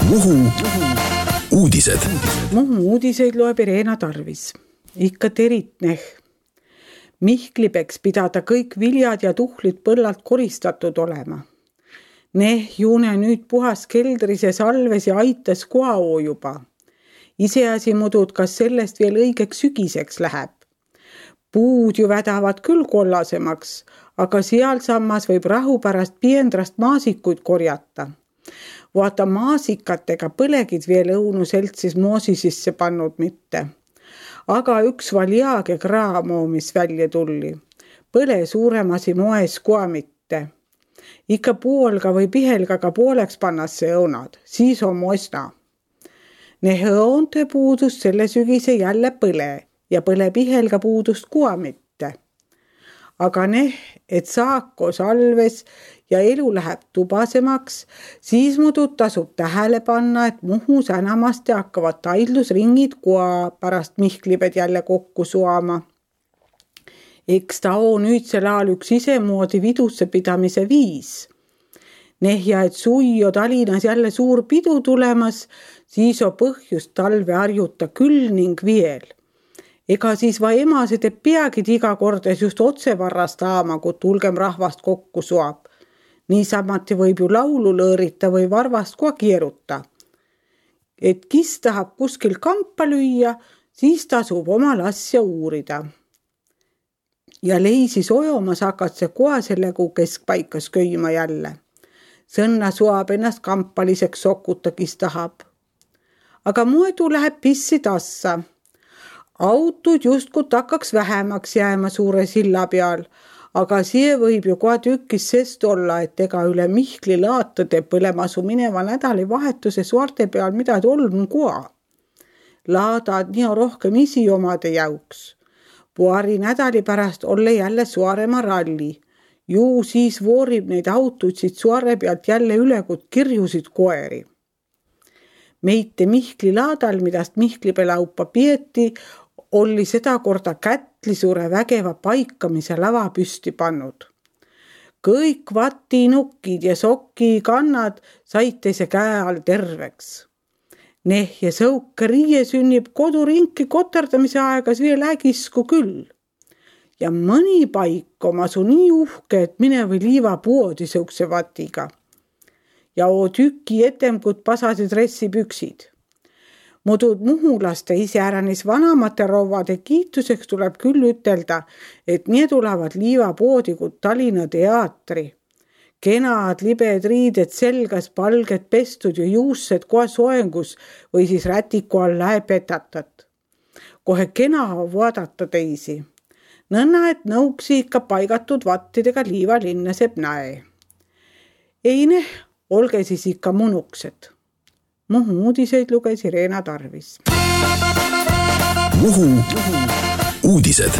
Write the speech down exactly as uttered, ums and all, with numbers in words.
Muhu uudised. Muhu uudiseid loeb Irena Tarvis. Ikka teritneh. Mihkli peks pidada kõik viljad ja tuhlid põllalt koristatud olema. Neh juune nüüd puhas keldris ja salves ja aitas koao juba. Iseasi mudud, kas sellest veel õigeks sügiseks läheb. Puud ju vädavad küll kollasemaks, aga seal sammas võib rahu pärast piendrast maasikuid korjata. Vaata maasikatega põlegid veel õunu seltsis moosi sisse pannud mitte. Aga üks valjaage kraamo, mis välja tulli. Põle suuremasi moes koa mitte. Ikka poolga või pihelgaga pooleks pannas see õunad, siis on mosna. Ne õonte puudust selle sügise jälle põle ja põle pihelga puudust koa mitte. Aga neh, et saako salves ja elu läheb tubasemaks, siis mudud tasub tähele panna, et Muhus enamasti hakkavad taidlusringid koa pärast Mihkliped jälle kokku suama. Eks ta on nüüdsel ajal üks isemoodi vidusse pidamise viis. Neh ja et sui o Talinas jälle suur pidu tulemas, siis on põhjust talve harjuta küll ning viel. Ega siis va emased et peagid iga kordes just otse varrast aama, kui tulgem rahvast kokku suab. Niisamati võib ju laulu lõõrita või varvast koa kieruta. Et kis tahab kuskil kampa lüüa, siis tasub oma lasja uurida. Ja leisis ojomas hakad see koa selle kuu keskpaikas köima jälle. Sõnna suab ennast kampaliseks sokuta, kis tahab. Aga muedu läheb pissi tassa. Autud justkui takkaks vähemaks jääma suure silla peal, aga see võib ju koha tükis sest olla, et ega üle Mihkli laatade põlemasu mineva nädali vahetuse suarte peal midagi olm koha. Laadad nii rohkem isi omade jauks. Puari nädali pärast olle jälle suarema ralli. Ju siis voorib neid autosid suare pealt jälle üle, kui kirjusid koeri. Meite Mihkli laadal, midast Mihklipe laupa pieti, oli seda korda kätli suure vägeva paikamise lava püsti pannud. Kõik vatinukid ja soki kannad said teise käe all terveks. Neh ja sõuke riie sünnib kodurinki koterdamise aegas veel ägisku küll. Ja mõni paik omasu nii uhke, et mine või liiva poodi sõukse vatiga. Ja oo tüki etemkud pasasi dressipüksid. Mudud muhulaste iseäranis vanamate rovade kiituseks tuleb küll ütelda, et nii tulevad liivapoodi kui Tallinna teatri. Kenad libed riided selgas, palged pestud ja juussed koha soengus või siis rätiku all läepetatat. Kohe kena vaadata teisi. Nõnna, et nõuksi ikka paigatud vattidega liiva linnaseb näe. Ei neh, olge siis ikka munuksed. Muhu uudiseid luges Irena Tarvis. Muhu uudised.